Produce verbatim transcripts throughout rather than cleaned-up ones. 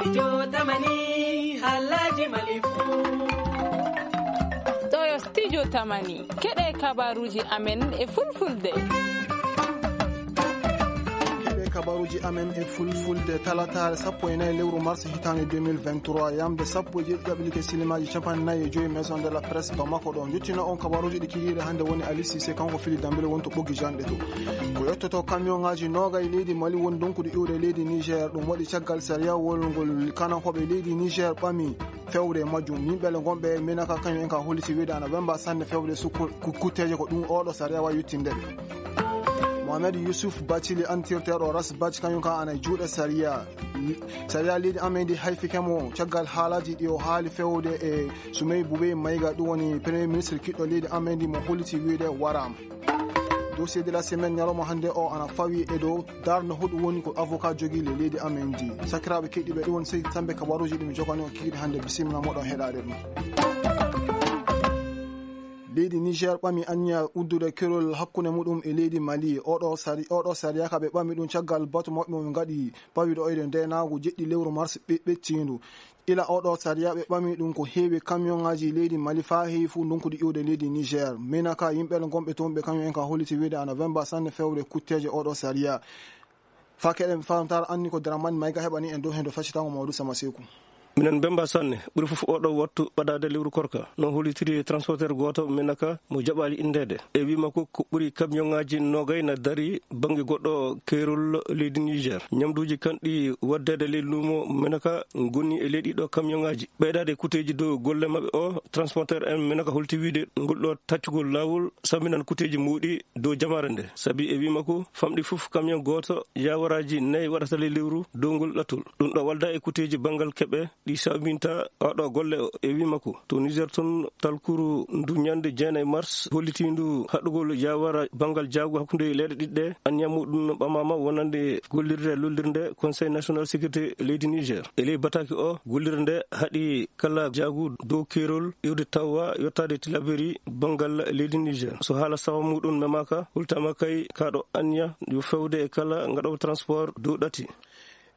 Studio Tamani, Halaji Malifu. Ɗo yo Studio Tamani. Keɗe kabaruji amen e fulfulde. Keɗe kabaruji amen e fulfulde, talataare sappo e nayi lewru mars hitaande deux mille vingt-trois, yamde sappo e jeeɗiɗi ɗaɓɓi like silimaaji capanɗe nayi e joyi Maison de la Presse Bamako ɗo. Njottino on kabaruji ɗi kikiiɗe hannde woni Ali Cissé, kanko fili Dambele woni to ɓoggi janɗe to. Ko yettoto kamiyonŋaaji noogay leydi Mali woni donkude iwde leydi Niger, ɗum waɗi caggal sariya wolngol kanankooɓe leydi Niger ɓami fewde e majjum. Yimɓe le gonɓe e Menaka kañum en ka holliti wiyde ana wemba sanne fewde sukku-, ku-, kutteeje ko ɗum oɗo sariya wawi yettinde ɓe. Mohamed Youssouf Bathily antirteeɗo Ras Bath kañum ka ana e juuɗe sariya. Sariya leydi amen ndi hayfike mo caggal haalaji ɗi o haali fewde e Soumey Boubey Maïga, ɗum woni premier ministre kiɗɗo leydi amen ndi mo holliti wiyde waraama. Dossier de la semaine ñalawma hannde o ana fawi e dow darnde hoɗum woni ko avocat jogii le leydi amen ndi. Sakiraaɓe keɗiiɓe, ɗum woni sey tambe kabaruuji ɗi mi jogani on kikiiɗe hannde. Bisimilla moɗon heɗaade ɗum. Leydi Niger ɓami anniya uddude kerol hakkunde muɗum e leydi Mali. Oɗo sari-, oɗo sariya ka ɓe ɓami ɗum caggal batu maɓɓe mo ɓe ngaɗi pawiɗo oyde ndeenaagu jeɗɗi lewru mars ɓe-, ɓettiindu. Ila oɗo sariya ɓe ɓami ɗum ko heewi kamiyonŋaaji leydi Mali faa heewi fuu ndonkude iwde leydi Niger. Menaka yimɓe gonɓe toon ɓe kañum en ka holliti wiyde ana wemba sanne fewde kutteeje oɗo sariya. Faa keɗen famtaare anni ko Dramane Maïga heɓani en dow heen to faccitango Mamadou Sama Seeku. Minen mbemba sanne, ɓuri fof oɗo wattu ɓadaade lewru korka. No hollitiri e transporteur gooto Menaka mo jaɓaali inndeede. E wii makko ko ɓuri kamiyonŋaaji noogay na dari bannge goɗɗo keerol leydi Niger. Ñamduuji kanɗi waddeede ley luumo Menaka ngoni e ley ɗiɗo kamiyonŋaaji. Ɓeydaade kuteeji dow golle maɓɓe o, transporteur en Menaka holti wiide ngol ɗo taccugol laawol sambinan kuteeji mawɗi dow jamaare nde. Sabi e wii makko famɗi fof kamiyon gooto yaawaraaji nayi waɗata ley lewru dow ngol ɗattol. Ɗum ɗo walda e kuteeji banngal keɓe ɗi sawbinta oɗo golle o. E wii makko to Niger toon, talkuru ndu ñande jeenayi mars hollitiindu haɗugol yaawara banngal jaagu hakkunde leyɗe ɗiɗi ɗe, anniya muɗum ɓamaama wonande gollirde lollirde Conseil National Sécurité leydi Niger. E ley bataki o, gollirde nde haɗi kala jaagu dow keerol iwde tawa yottaade Tilaberi banngal leydi Niger. So haala sawa muɗum memaaka, hultama kay kaɗo anniya yo fewde e kala ngaɗowo transport dow ɗati.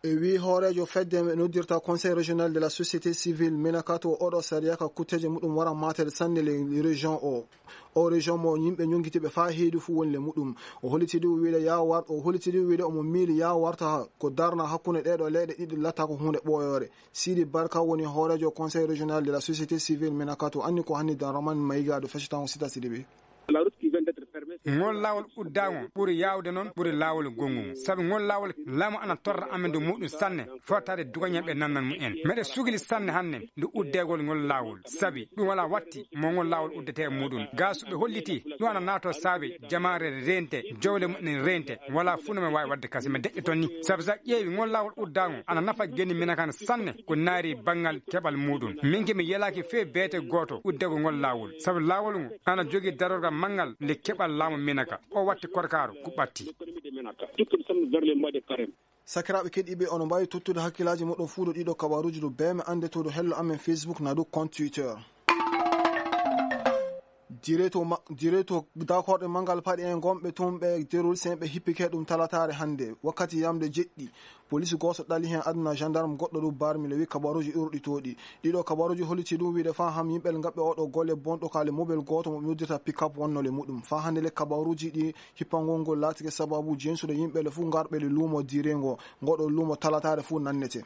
E wii hooreejo fedde noddirta Conseil Régional de la Société Civile, Menaka, to oɗo sariya ka kutteeje muɗum wara matere sanne le région o. O région mo yimɓe ñongitiiɓe faa heedi fuu woni le muɗum. O holliti ɗum wiide yaa war-, o holliti ɗum wiide omo miili yaa warta ko darna hakkunde ɗee ɗoo leyɗe ɗiɗi latta ko huunde ɓooyoore. Sidi Barka woni hooreejo Conseil Régional de la Société Civile, Menaka, to anni ko hanni Dramane Maïga ɗo feccitango Sita Sidibé. Ngol laawol uddaango ɓuri yaawde noon, ɓuri laawol gonngo. Sabu ngol laawol laamu ana torra amen dow muɗum sanne, fotaade dugañal ɓe nannan mu en. Meɗe sugli sanne hannde ndu uddeegol ngol laawol. Sabi ɗum wala watti mo ngol laawol uddete e muɗum. Gaa so ɓe holliti ɗum ana naato saabe jamaare rente, jowle muɗum rente, wala fuu no men waawi waɗde kasi men deƴƴe toon ni. Sabu so a ƴeewi ngol laawol uddaango ana nafa geni Menaka sanne ko naari banngal keɓal muɗum. Min ke mi yelaaki fee beete gooto uddego ngol laawol. Sabu laawol ngo ana jogii darorgal manngal nde keɓal laamu Menaka. O watti korkaaro ko ɓatti. Tout comme ça, vers les mois de carême. Sakiraaɓe keɗiiɓe, ono mbaawi tottude hakkillaaji moɗon fuu ɗo ɗiɗo kabaruuji ɗo bee me annde to ɗo hello amen Facebook na ɗo compte Twitter. Direto ma-, direto dakorɗe manngal paɗe en gonɓe toon ɓe terroriste en ɓe hippike ɗum talataare hannde wakkati yamde jeɗɗi. Police gooto ɗali heen aduna gendarme goɗɗo ɗum barmi le wi kabaruuji urɗitooɗi. Ɗiɗo kabaruuji holliti ɗum wiide faa ham yimɓe ngaɓɓe oɗo golle bonɗo kaale mobile gooto mo ɓe noddirta pick-up wonnole muɗum. Faa hannde le kabaruuji ɗi hippangol ngol laatike sababu jensude yimɓe le fuu ngarɓe le luumo direngo. Ngoɗo luumo talataare fuu nannete.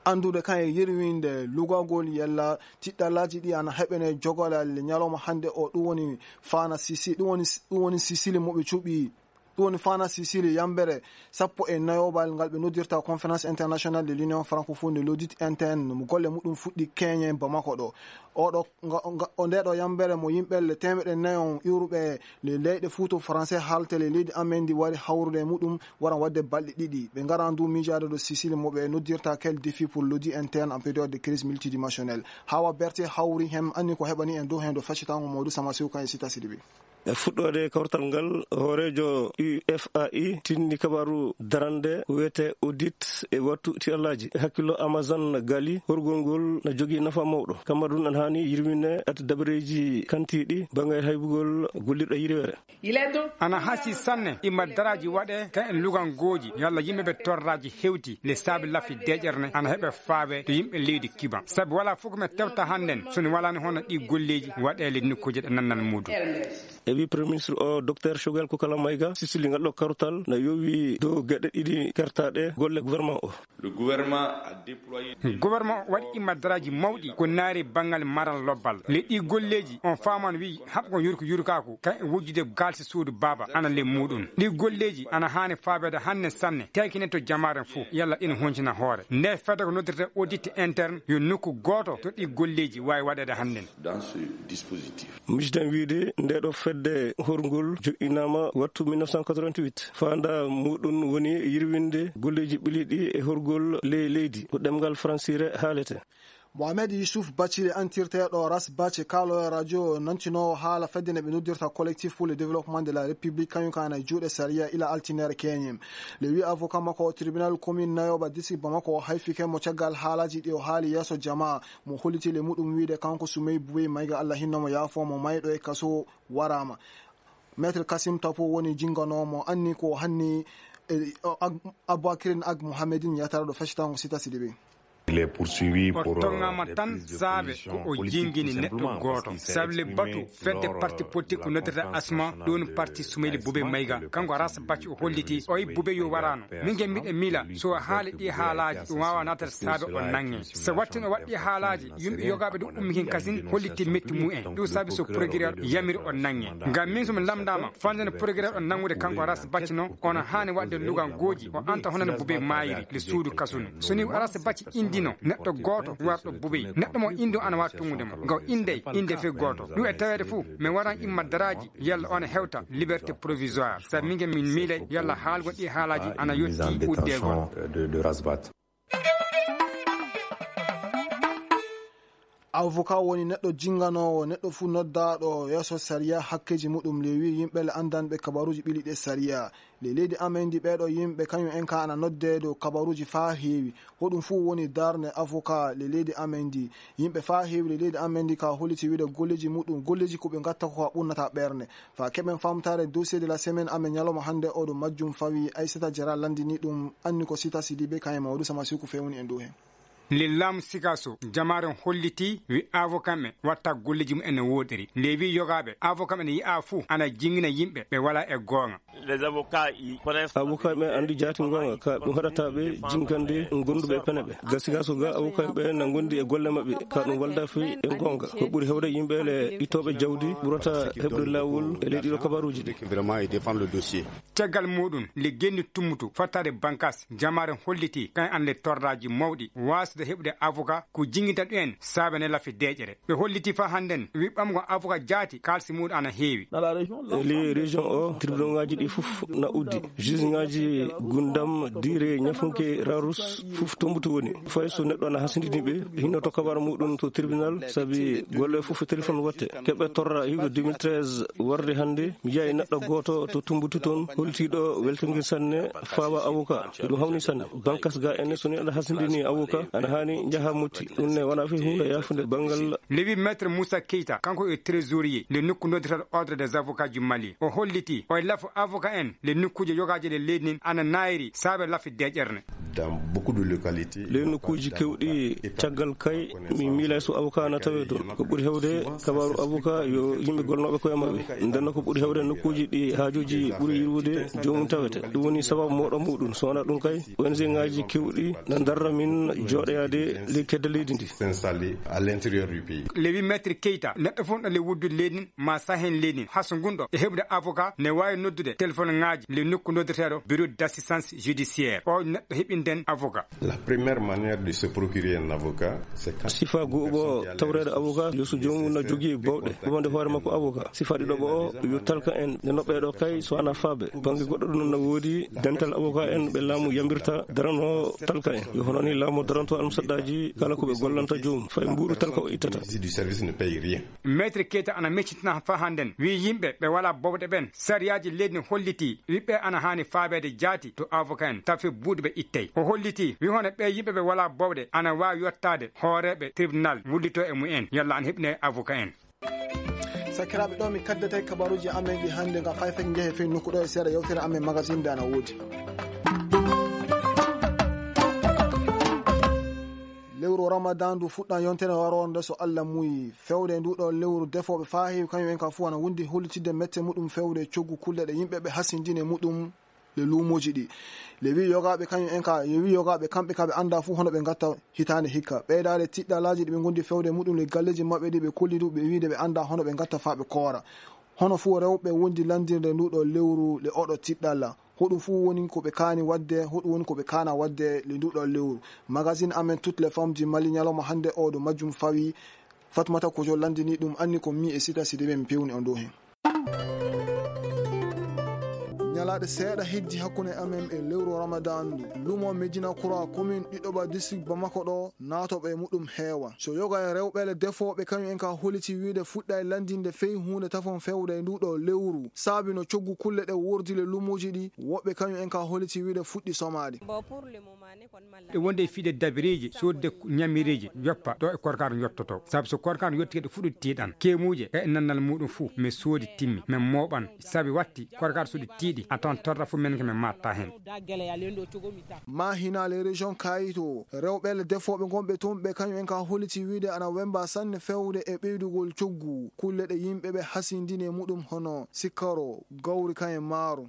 Anndude kan e yirwinde lugagol yalla tiɗɗallaaji ɗi ana heɓene jogolal ñalawma hannde o, ɗum woni Fana Sisi, ɗum woni, ɗum woni Sisili mo ɓe cuɓi, ɗum woni Fana Sisili yambere sappo e nayoɓal ngal ɓe noddirta Conférence Internationale de l'Union Francophone de l'Audit Interne, mo golle muɗum fuɗɗi keñe Bamako ɗo. Oɗo, nga, nga, o ndeɗo yambere mo yimɓe le temeɗe nayo iwruɓe le leyɗe Fuuto Français haalte le leydi amen ndi wari hawrude e muɗum wara waɗde balɗe ɗiɗi. Ɓe ngara ndu miijaade ɗo Sisili mo ɓe noddirta quel défi pour l'audit interne en période de crise multidimensionnelle. Hawa Berté hawri hem anni ko heɓani en dow hen ɗo faccitango Mamadou Sama Sow kan e Sita Sidibé. E fuɗɗoode kawtal ngal, hooreejo U F A I tinni kabaaru darande ko wiyetee audit e wattu tiyallaaji. E hakkillo Amazon Gali, horgol ngol na jogii nafa mawɗo. Kamma ɗum ana haani yirwinde ati dabareeji kantiiɗi bannge haybugol gollirɗo yirweere. Ana hasi sanne imma daraaji waɗe ka en lugangooji yalla yimɓe ɓe torraaji hewti le saabi lafi deeƴere ne ana heɓe faawe to yimɓe leydi Kiban. Sabi wala fof ko men tewta hannden so ni walaani hono ɗi golleeji waɗeele nokkuuje ɗe nannan muudum. E wi Premier Ministre o, Docteur Choguel Kokala Maïga, sisili ngal ɗo kartal na yowi dow geɗe ɗiɗi kertaɗe golle gouvernement o. Le gouvernement a déployé Gouvernement o waɗi immadaraaji mawɗi ko naari banngal maral lobbal. Le ɗi golleeji on faaman wi haɓ kon yurko yurkaaku kan e wujjude gaalsi suudu baaba ana le muɗum. Ɗi golleeji ana haani faabeede hanne sanne, teekine to jamaaren fof, yalla ina honcina hoore. Nde fedde ko noddirte audit interne yo nokku gooto to ɗi golleeji waawi waɗeede hannden. Dans ce dispositif. Misiɗen wiyde nde ɗo fedde horgol joɗɗinaama wattu mille neuf cent quatre-vingt-huit. Faanda muɗum woni yirwinde golleeji ɓiliɗi e horgol ley leydi. Ko ɗemngal Faransiire haalete. Mohamed Yusuf Bacile, antirteeɗo Ras Bace, kaaloyo radio nantinoowo haala fedde nde ɓe noddirta Collectif pour le Développement de la République, kañum ka ana e juuɗe sariya ila altinere keñe. Le wi avocat makko o tribunal commune Nayoba district Bamako o hayfike mo caggal haalaji ɗi o haali yeeso jamaa. Mo holliti le muɗum wiide kanko Soumey Boubey Maïga, Allah hinno mo, yaafo mo, mayɗo e kaso waraama. Maître Kassim Tapo woni jinganoowo mo, anni ko hanni, e, o, Ag-, Aboubacrine Ag Mohamedine yataraa ɗo feccitango Sita Sidibé. Il est poursuivi O pour, euh, tongaama des tan prises de saabe position ko o politique, jingini tout neɗɗo simplement, gooto. Parce qu'il s'est Sable exprimé batu fedde lors, parti euh, politique de ko la noddata conférence Asma, ɗum nationale parti de Soumeyli Bube Mayga. Kanko Ras Bacci o holliti, o yi Bube yo waraano. Min nge mbiɗe miila, so o haali ɗi haalaaji, ɗum waawa naatata saabe o nange. So wattin o waɗi ɗi haalaaji, yimɓe yogaaɓe ɗum ummikin kasin, holliti metti mumen. Ɗum saabi so procureur yamiri o nange. Ngam min so mi lamndaama, fande no procureur o nangude kanko Ras Bacci no, ono haani waɗde lugan gooji, o anta hono no Bube maayiri, le suudu kasunu. So ni Ras Bacci indino neɗɗo gooto warɗo Bube, neɗɗo mo indi o ana waawi tungude mo. Ngaw indey, inde fe gooto. Ɗum e taweede fof, mi waran imma daraaji, yalla on hewta liberté provisoire. Sabi min nge min miilay, yalla haalgol ɗi haalaaji ana Mise en yotti détention, uddegol. euh, de, de Rasbat. Avocat woni neɗɗo jinganoowo, neɗɗo fuu noddaaɗo yeeso sariya hakkeeji muɗum, le wi yimɓe le anndanɓe kabaruuji ɓiliɗi e sariya. Le leydi amen ndi, ɓeeɗo yimɓe, kañum en ka ana noddee dow kabaruuji faa heewi. Hoɗum fuu woni darnde avocat le leydi amen ndi. Yimɓe faa heewi le leydi amen ndi ka holliti wiide golleeji muɗum, golleeji ko ɓe ngatta ko ka ɓurnata ɓernde. Faa keɓen famtaare dossier de la semaine amen ñalawma hannde, oɗo majjum fawi, Aissata Diarra lanndini ɗum, anni ko Sita Sidibé kañum e Mamadou Sama Siku fewni en dow heen. Lillaamu Sikaso, jamaare on holliti, wi avocat ɓe watta golleeji mum en no woɗiri. Nde wi yogaaɓe, avocat ɓe ne yi'a fuu ana jingina yimɓe ɓe wala e goonga. Les avocats, ils connaissent Avocat ɓe anndi jaati goonga, ka ɗum haɗata ɓe jingande gonduɓe e pene ɓe. Ga Sikaso ga, avocat ɓe na gondi e golle maɓɓe, ka ɗum walda fi e goonga. Ko ɓuri hewde yimɓe le ittooɓe jawdi ɓurata heɓde laawol e leydi ɗo kabaruuji ɗi. Vraiment, ils défendent le dossier. Caggal muɗum, le genni tummutu fottaade bankas, jamaare holliti, kan annde torraaji mawɗi, waasde heɓude avocat, ko jingita ɗum en, saabe ne lafi deeƴere. Ɓe holliti faa hannden, wi ɓamgo avocat jaati, kaalsi muɗum ana heewi. E ley région o, tribunal ngaji ɗi fof na uddi. Juge ngaji Gundam, Dire, Ñafunke, Rarus, fof tumbutu woni. Fay so neɗɗo ana hasindini ɓe, hinnoto kabar muɗum to tribunal, sabi golle fof téléphone watte. Keɓe torra hiwde deux mille treize warde hannde, mi yi'aay neɗɗo gooto to Tumbutu toon, holtiiɗo weltingel sanne, faawa avocat. Ɗum hawni sanne. Bankas ga ene, so neɗɗo hasindini avocat, ana haani njaha motti. Ɗum ne wona fi huunde yaafunde banngal. Lewi Maître Moussa Keita, kanko e trésorier, nde nokku noddirta Ordre des Avocats du Mali. O holliti, o e lafu avocat en, le nokkuuje yogaaje le leydi nin, ana naayri, saabe lafi deeƴere ne. Dans beaucoup de localités, le nokkuuji kewɗi, caggal kay, mi miilay so avocat na tawe toon. Ko ɓuri hewde, kabaaru avocat yo yimɓe golnooɓe koye maɓɓe. Ndenno ko ɓuri hewde nokkuuji ɗi haajuuji ɓuri yirwude, joomum tawete. Ɗum woni sababu moɗo muɗum. So wonaa ɗum kay, O N G ngaji kewɗi na darra min jooɗoyaade ley kedde leydi ndi. S'installer à l'intérieur du pays. Lewi Maître Keita, neɗɗo fof no le wuddu leydi ma sahen leydi, haso ngun ɗo e heɓude avocat, ne waawi noddude téléphone ngaji le nokku noddeteeɗo bureau d'assistance judiciaire. O neɗɗo heɓi Nden avocat. La première manière de se procurer un avocat, c'est quand... Sifa guuɓo tawreede avocat, yo so joomum na jogii bawɗe, wonde hoore makko avocat. Sifa ɗiɗo ɓo o, yo talka en, nde noɓɓe ɗo kay, so ana faabe. Bannge goɗɗo ɗum na woodi, dental avocat en ɓe laamu yambirta darano talka en. Yo hono ni laamu daranto almusaddaaji, kala ko ɓe gollanta joomum, fay mbuuɗu talka o ittata. Du service ne paye rien. Maître Keita ana meccitina fa hannden, wi yimɓe ɓe wala bowɗe ɓen, sariyaaji leydi ne holliti, wi ɓe ana haani faabeede jaati to avocat en, tawi buuɗu ɓe ittey. O holliti, wi hono ɓe yimɓe ɓe wala bowɗe ana waawi yottaade hooreeɓe tribunal wullito e mumen, yalla ana heɓine avocat en. Sakiraaɓe, ɗo mi kaddata e kabaruuji amen ɗi hannde, ngam fay fay njehe fey nokku ɗo e seeɗa yewtere amen magazine nde ana woodi. Lewru Ramadan ndu fuɗɗan yontere waroonde so Allah muyi. Fewde ndu ɗo lewru defooɓe faa heewi kañum en ka fuu ana wondi hollitidde mette muɗum fewde coggu kulle ɗe yimɓe ɓe hasindini e muɗum le luumooji ɗi. Le wi yogaaɓe kañum en ka, le wi yogaaɓe kamɓe ka ɓe annda fuu hono ɓe ngatta hitaande hikka. Ɓeydaade tiɗɗalaaji ɗi ɓe ngondi fewde muɗum le galleeji maɓɓe ɗi ɓe kolli du ɓe wiide ɓe annda hono ɓe ngatta faa ɓe koora. Hono fuu rewɓe wondi landirde ndu ɗo lewru le oɗo tiɗɗalla. Hoɗum fuu woni ko ɓe kaani waɗde, hoɗum woni ko ɓe kaana waɗde le ndu ɗo lewru. Magazine amen Toutes les femmes du Mali ñalawma hannde o ɗo majjum fawi. Fatmata Kojo landini ɗum anni ko mi e Sita Sidibé mi pewni on dow heen. Ñalaaɗe seeɗa heddi hakkunde amen e lewru Ramadan ndu. Lumo Medina Kura, commune Ɗiɗoɓa, district Bamako ɗo, naatooɓe e muɗum heewa. So yoga e rewɓe le defooɓe, kañum en ka holiti wiide fuɗɗa e landinde fey huunde tafon fewda e ndu ɗo lewru. Saabi no coggu kulle ɗe wordi le lumooji ɗi, woɓɓe kañum en ka holiti wiide fuɗɗi somaade. Ɗe wonde e fiide dabireeji, soodde ñamireeji, yoppa ɗo e korkaar yottoto. Sabu so korkaar yotti kadi fuɗɗo tiiɗan. Keemuuje, e nannal muɗum fuu, mi soodi timmi, mi mooɓan, sabi watti, korkaar so ɗi tiiɗi, a tawan torra fuu men ke mi maatta heen. Ma hinaale région Kayito, rewɓe le defooɓe ngonɓe toon ɓe kañum en ka holiti wiide ana wemba sanne fewde e ɓeydugol coggu, kulle ɗe yimɓe ɓe hasindini e muɗum hono sikkaro, gawri kan e maaro.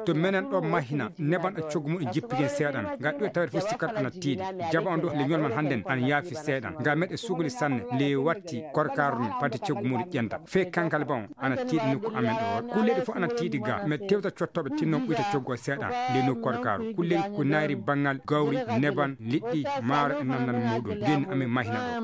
To menen ɗo mahina, neban e coggu muɗum jippigen seeɗan. Nga ɗo tawde fof sikkar ana tiiɗi. Jaba on ɗo le ñol man hannden ana yaafi seeɗan. Nga meɗe sugli sanne, le watti korkaaru ni, pati coggu muɗum ƴenda. Fe kankal ba on, ana tiiɗi nokku amen ɗo. Kulleeɗi fof ana tiiɗi ga. Me tewta cottoɓe tinnon ɓuyta coggu o seeɗan. Le nokku korkaaru. Kulleeɗi ko nayri bangal, gawri, neban, liɗɗi, maaro e nannal muɗum. Gen amin mahina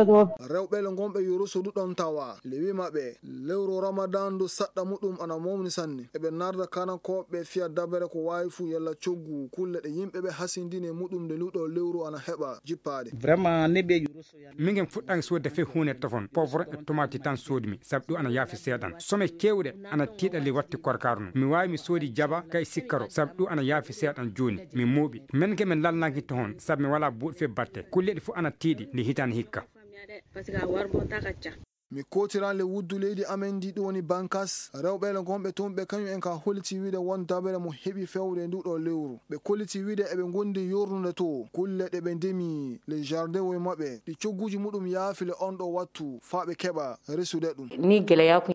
ɗo. Rewɓe le ngonɓe Yoroso du ɗon tawa. Le wi maɓɓe, lewru Ramadan ndu saɗɗa muɗum ana mawni sanne. Eɓe narda kanankooɓe fiya dabere ko waawi fuu yalla coggu kulle ɗe yimɓe ɓe hasindini e muɗum nde luɗo lewru ana heɓa jippaade. Vraiment, ne ɓe Yoroso yani. Mingen fuɗɗan soodde fe huunde tofon, poivron e tomati tan soodmi, sabu ɗum ana yaafi seeɗan. Some keewɗe ana tiiɗa le watti korkaaru no. Mi waawi mi soodi jaba kay sikkaro, sabu ɗum ana yaafi seeɗan jooni. Mi mooɓi. Men ke men lalnaki tohon, sabu mi wala buuɗ fe batte. Kulleɗi fof ana tiiɗi le hitaani hikka. Mi kootiran le wuddu leydi amen ndi ɗum woni Bankas, rewɓe le gonɓe toon ɓe kañum en ka holliti wiide won dabere mo heɓi fewde ndu ɗo lewru. Ɓe kolliti wiide eɓe ngondi yornude to, kulle ɗe ɓe ndemi le jardin woy maɓɓe, ɗi cogguji muɗum yaafi le on ɗo wattu, faa ɓe keɓa resude ɗum. Ni geleya ko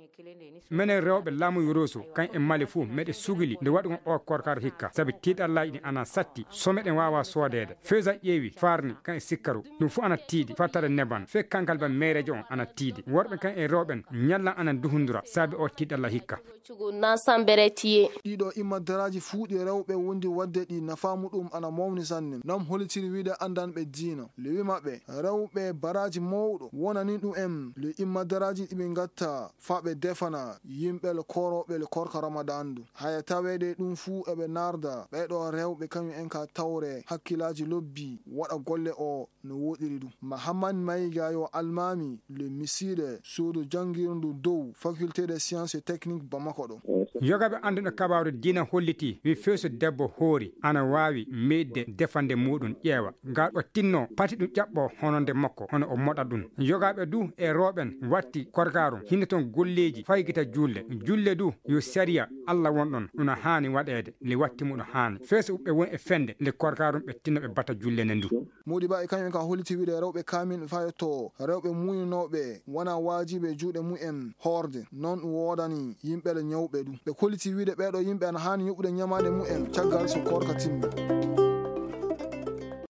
Menen rewɓe laamu Yoroso, kan e Mali fuu, meɗe sugili nde waɗugon o korkaaru hikka, sabi tiiɗallaaji ɗi ana satti, so meɗen waawa soodeede. Fewza ƴeewi, faarni, kan e sikkaru, ɗum fuu ana tiiɗi, fattare neban, fee kankal ba meereejo on ana tiiɗi. Worɓe kan e rewɓen, ñallan ana duhundura, sabi o tiiɗalla hikka. Cugu nan sambere tiye. Ɗiɗo imma daraaji fuu ɗi rewɓe wondi waɗde ɗi nafaa muɗum ana mawni sanne. Nam holitiri wiide anndanɓe diina. Lewi maɓɓe, rewɓe baraaji mawɗo wonani ɗum en. Le imma daraaji ɗi ɓe ngatta faa ɓe defana yimɓe le korooɓe le korka Ramadan ndu. Haya taweede ɗum fuu eɓe narda ɓeeɗo rewɓe kañum en ka tawre hakkilaaji lobbi waɗa golle o no woɗiri ɗum. Mahamman Mayiga yo almaami le misiiɗe suudu janngirndu dow Faculté des Sciences et Techniques Bamako ɗo. Yogaɓe annduɓe kabaaru diina holliti wi feeso debbo hoori ana waawi meeɗde defande muɗum ƴeewa. Ngal o tinno pati ɗum ƴaɓɓo hono nde makko, hono o moɗa ɗum. Yogaɓe du e rooɓen watti korkaaru hinno toon golleeji faygita julle. Julle du yo sariya Allah won ɗon, ɗum haani waɗeede, le watti muɗum haani. Feeso ɓe won e fende, le korkaaru ɓe tinno ɓe bata julle nde ndu. Modi ba e kañum en ka holliti wiide rewɓe kaamin fayotto, rewɓe muuyinooɓe wona waajibi e juuɗe mumen hoorde, noon ɗum woodani yimɓe le ñawɓe ɗum. Ɓe kolliti wiide ɓeeɗo yimɓe ana haani yoɓude ñamaande mumen caggal so korka timmi.